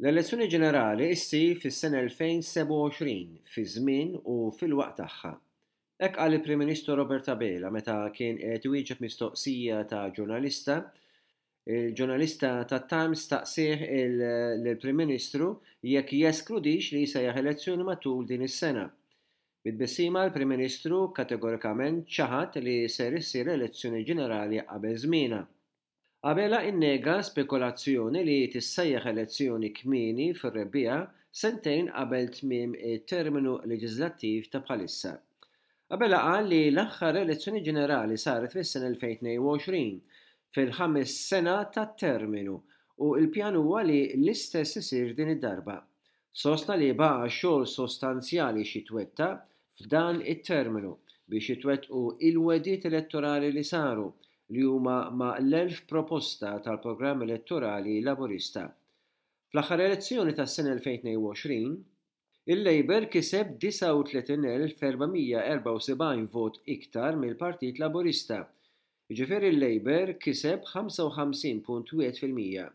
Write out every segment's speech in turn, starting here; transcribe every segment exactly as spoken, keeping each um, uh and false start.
L-elezzjoni ġenerali ssir fis-sena elfejn sebgħa u għoxrin fi żmien u fil-waqt tagħha. Hekk qal il-Prim Ministru Robert Abela meta kien qed iwieġeb mistoqsija ta' ġurnalista. Il-ġurnalista tat-Times staqsieh lill-Prim Ministru jekk jeskludix li jsejjaħ elezzjoni matul din is-sena. Bi tbissima l-Prim Ministru kategorikament ċaħad li ser issir elezzjoni ġenerali qabel żmienha. Abela innega spekulazzjoni li tissejjaħ elezzjoni kmieni fir-rebbiegħa sentejn qabel tmiem it-terminu leġislattiv ta' bħalissa. Abela qal li l-aħħar elezzjoni ġenerali saret fis-sena elfejn tnejn u għoxrin, fil-ħames sena tat-terminu, u l-pjan huwa li l-istess isir din id-darba. Sostna li baqa' xogħol sostanzjali x'jitwettaq f'dan it-terminu biex jitwettqu il-wegħdiet elettorali li saru, li huma ma' l-elf proposta tal-programm elettorali Laburista. Fl-aħħar elezzjoni tas-sena elfejn tnejn u għoxrin, il-Labour kiseb disgħa u tletin elf erba' mija erbgħa u sebgħin vot iktar mill-Partit Laburista. Jiġifieri l-Labour kiseb ħamsa u ħamsin punt wieħed fil-mija.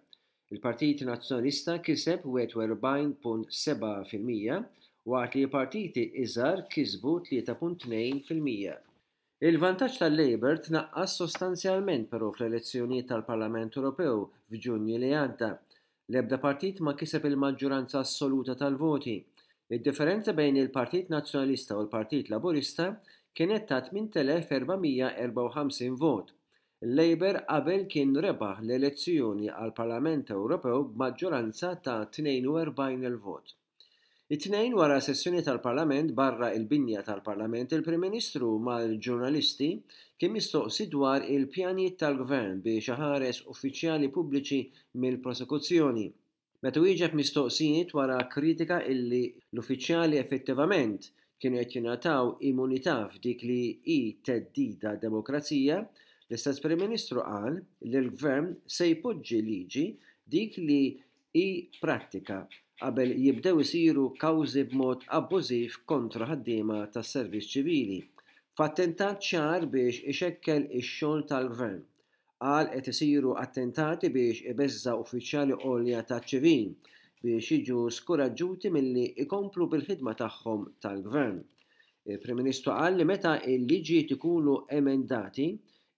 Il-Partit Nazzjonalista kiseb wieħed u erbgħin punt sebgħa fil-mija, waqt li partiti iżgħar kisbu tlieta punt tnejn fil-mija. Il-vantaġġ tal-Labour tnaqqas sostanzjalment però fl-elezzjonijiet tal-Parlament Ewropew f'Ġunju li għadda. L-ebda partit ma kiseb il-maġġoranza assoluta tal-voti. Id-differenza bejn il-Partit Nazzjonalista u l-Partit Laburista kienet ta' tmien elef erba' mija erbgħa u ħamsin vot. Il-Labour qabel kien rebaħ l-elezzjoni għall-Parlament Ewropew b'maġġoranza ta' tnejn u erbgħin elf vot. It-tnejn wara sessjoni tal-Parlament barra il-binja tal-Parlament, il-Prim Ministru mal-ġurnalisti kien mistoqsi dwar il-pjanijiet tal-Gvern biex iħares uffiċjali pubbliċi mill-prosekuzzjoni. Meta wieġeb mistoqsijiet wara kritika illi l-uffiċjali effettivament kienu qed jingħataw immunità f'dik li hi theddida demokrazija, l-istess Prim Ministru qal li l-Gvern se jpoġġi liġi dik li hi prattika qabel jibdew isiru kawżi b'mod abbużiv kontra ħaddiema tas-servizz ċivili, f'attentat ċar biex ixekkel ix-xogħol tal-Gvern. Qal qed isiru attentati biex ibeżża' uffiċjali għolja taċ-ċivil biex jiġu skoraġġuti milli ikomplu bil-ħidma tagħhom tal-Gvern. Il-Prim Ministru qal li meta l-liġijiet ikunu emendati,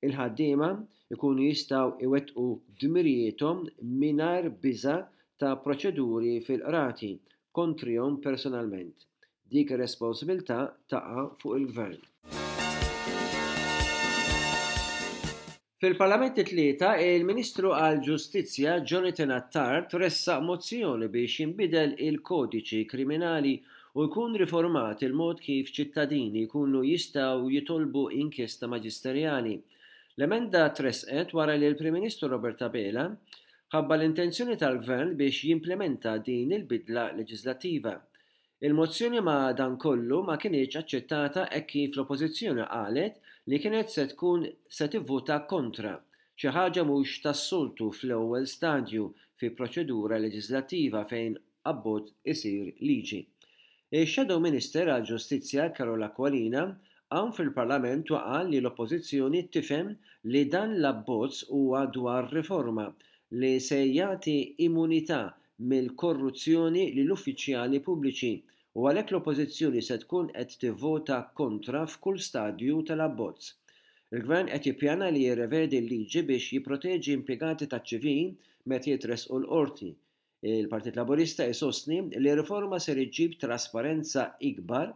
il-ħaddiema ikunu jistgħu iwettqu dmirijiethom mingħajr biża' ta' proċeduri fil-qrati kontrihom personalment. Dik ir-responsabilità taqa' fuq il-Gvern. Fil-Parlament it-Tlieta, il-Ministru għall-Ġustizzja Jonathan Attard ressaq mozzjoni biex jinbidel il-kodiċi kriminali u jkun riformat il-mod kif ċittadini jkunu jistgħu jitolbu inkjesta maġisterjali. L-emenda tresqet wara li l-Prim Ministru Robert Abela ħabba l-intenzjoni tal-Gvern biex jimplementa din il-bidla leġislattiva. Il-mozzjoni ma' dan kollu ma kinitx aċċettata hekk kif l-Oppożizzjoni qalet li kienet se tkun se tivvota kontra, xi ħaġa mhux tas-soltu fl-ewwel stadju fi proċedura leġislattiva fejn abbozz isir liġi. Ix-Shadow Minister għall-Ġustizzja Karol Aquilina hawn fil-Parlament u qal li l-Oppożizzjoni tifhem li dan l-abbozz huwa dwar riforma li se jagħti immunità mill-korruzzjoni lill-uffiċjali pubbliċi u għalhekk l-Oppożizzjoni se tkun qed tivvota kontra f'kull stadju tal-abbozz. Il-Gvern qed jippjana li jirrevedi l-liġi biex jipproteġi impjegati taċ-ċivil meta jitressqu l-qorti. Il-Partit Laburista jsostni li r-riforma ser iġġib trasparenza ikbar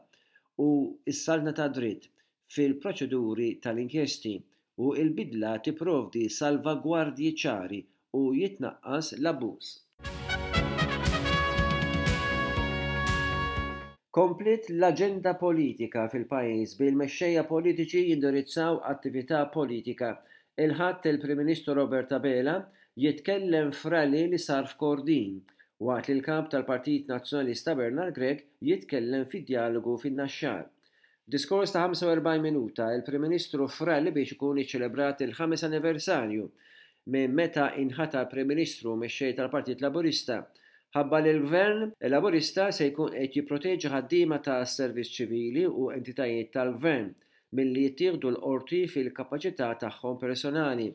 u s-saltna ta' dritt fil-proċeduri tal-inkjesti u l-bidla tipprovdi salvagwardji ċari u jitnaqqas l-abbuż. Kompliet l-aġenda politika fil-pajjiż bil-mexxejja politiċi jindirizzaw attività politika. Il-Ħadd il-Prim Ministru Robert Abela jitkellem f'rally li sar f'Kordin, waqt li l-kap tal-Partit Nazzjonalista Bernard Grech jitkellem fid-dialogu fin-Naxxar. F'diskors ta' ħamsa u erbgħin minuta, il-Prim Ministru f'rally biex ikun iċċelebrat il-ħames anniversarju minn meta inħatar Prim Ministru u mexxej tal-Partit Laburista, ħabba li l-Gvern Laburista se jkun qed jipproteġi ħaddiema ta' servizz ċivili u entitajiet tal-Gvern milli jittieħdu l-qorti fil-kapaċità tagħhom personali.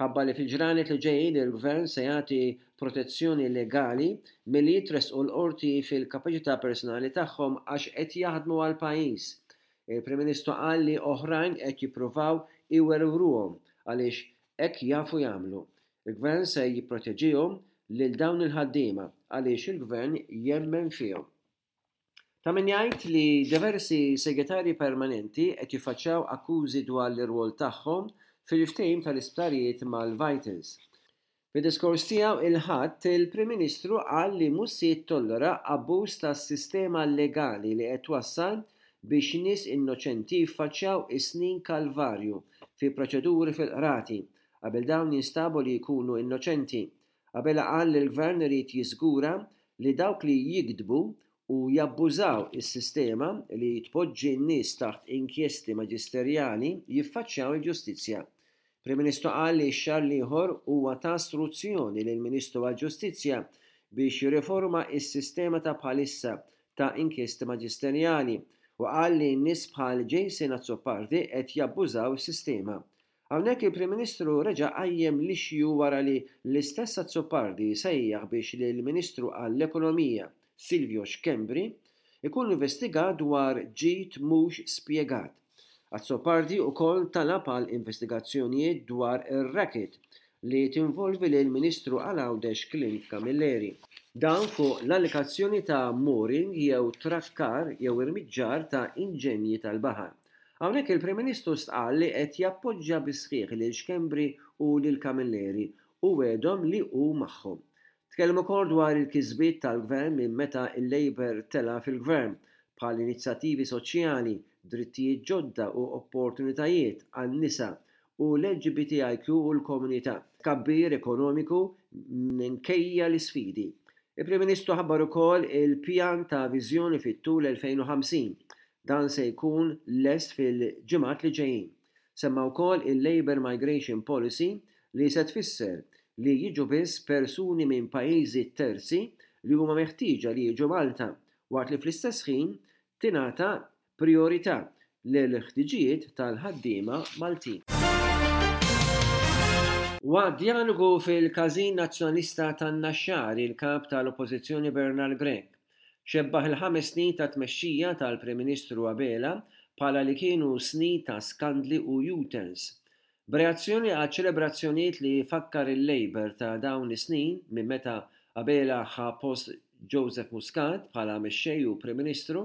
Ħabbar li fil-ġranet li ġejjin il-Gvern se jagħti protezzjoni legali milli jitressqu l-qorti fil-kapaċità personali tagħhom għax qed jaħdmu għall-pajjiż. Il-Prim Ministru qal li oħrajn qed jippruvaw iwerwruhom għaliex hekk jafu jagħmlu. Il-Gvern se jipproteġihom lil dawn il-ħaddiema għaliex il-Gvern jemmen fihom. Ta' min jgħid li diversi segretarji permanenti qed jiffaċċjaw akkużi dwar l-irwol tagħhom fil-ftehim tal-isptarijiet mal-Vitals. Fid-diskors tiegħu il-Ħadd, il-Prim Ministru qal li mhux se jittollera abbuż tas-sistema legali li qed twassal biex nies innoċenti jiffaċċjaw is-snin kalvarju fi proċeduri fil-qrati qabel dawn jinstabu li jkunu innoċenti. Abela qal li l-Gvern irid jiżgura li dawk li jigdbu u jabbużaw is-sistema li tpoġġi n-nies taħt inkjesti maġisterjali jiffaċċjaw il-ġustizzja. Prim Ministru qal li x-xahar l-ieħor huwa ta struzzjoni lill-Ministru għall-Ġustizzja biex jirriforma s-sistema ta' bħalissa ta' inkjesti maġisterjali u qal li nies bħal Jason Azzopardi qed jabbużaw is-sistema. Hawnhekk il-Prim Ministru reġa' qajjem l-issue wara li l-istess Azzopardi sejjaħ biex lill-Ministru għall-Ekonomija Silvio Schembri ikun investigat dwar ġid mhux spjegat. Azzopardi wkoll talab għal investigazzjonijiet dwar ir-racket li tinvolvi lill-Ministru għal Għawdex Clint Camilleri. Dan fuq l-allegazzjoni ta' mooring jew trakkar jew irmiġġar ta' inġenji tal-baħar. Hawnhekk il-Prim Ministru stqarr li qed jappoġġja bis-sħiħ lil Schembri u lil Camilleri u wegħedhom li hu magħhom. Tkellem ukoll dwar il-kisbiet tal-Gvern minn meta l-Labour tela' fil-Gvern, bħal inizjattivi soċjali, drittijiet ġodda u opportunitajiet għan-nisa u l-L G B T I Q u l-komunità, tkabbir ekonomiku minkejja l-isfidi. Il-Prim Ministru ħabbar ukoll il-pjan ta' viżjoni fit-tul elfejn u ħamsin. Dan se jkun lest fil-ġimgħat li ġejjin. Semma wkoll il-Labour Migration Policy li se tfisser li jiġu biss persuni minn pajjiżi terzi li huma meħtieġa li jiġu Malta, waqt li fl-istess ħin tingħata priorità lill-ħtiġijiet tal-ħaddiema Maltin. Waqt djalogu fil-Każin Nazzjonalista tan-Naxxar, il-kap tal-Oppożizzjoni Bernard Grech xebbaħ il-ħames snin ta' tmexxija tal-Prim Ministru Abela bħala li kienu snin ta' skandli u U-turns. B'reazzjoni għal ċelebrazzjonijiet li fakkar il-Labour ta' dawn is-snin minn meta Abela ħa post Joseph Muscat bħala mexxej u Prim Ministru,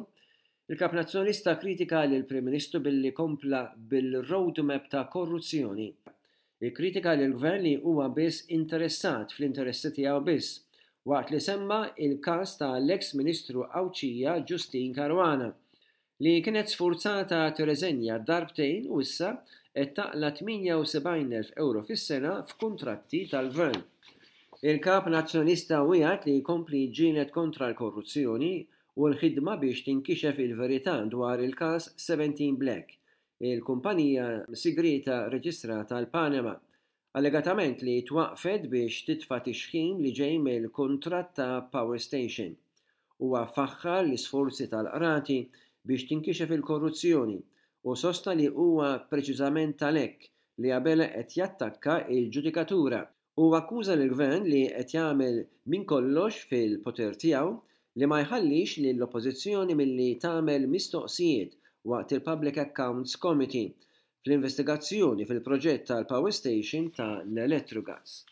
il-kap nazzjonalista kritika lil Prim Ministru billi kompla bil-roadmap ta' korruzzjoni. Ikkritika lil gvern li huwa biss interessat fl-interessi tiegħu biss, waqt li semma il-każ tal-ex Ministru Għawdxija Justyne Caruana li kienet sfurzata tirreżenja darbtejn u issa qed taqla' tmienja u sebgħin elf euro fis-sena f'kuntratti tal-gvern. Il-kap nazzjonalista wiegħed li jkompli jiġġieled kontra l-korruzzjoni u l-ħidma biex tinkixef il-verità dwar il-każ seventeen Black, il-kumpanija sigrita reġistrata l-Panama, allegatament li twaqfet biex titfa' tixħim li ġej mill-kuntratt ta' Power Station. Huwa faħħar l-isforzi tal-qrati biex tinkixef il-korruzzjoni u sostna li huwa preċiżament għalhekk li Abela qed jattakka il-ġudikatura u akkuża l-gvern li qed jagħmel minn kollox fil-poter tiegħu li ma jħallix lill-oppożizzjoni milli tagħmel mistoqsijiet waqt il-Public Accounts Committee fl-investigazzjoni fil-proġett tal-Power Station ta' l-Electrogas.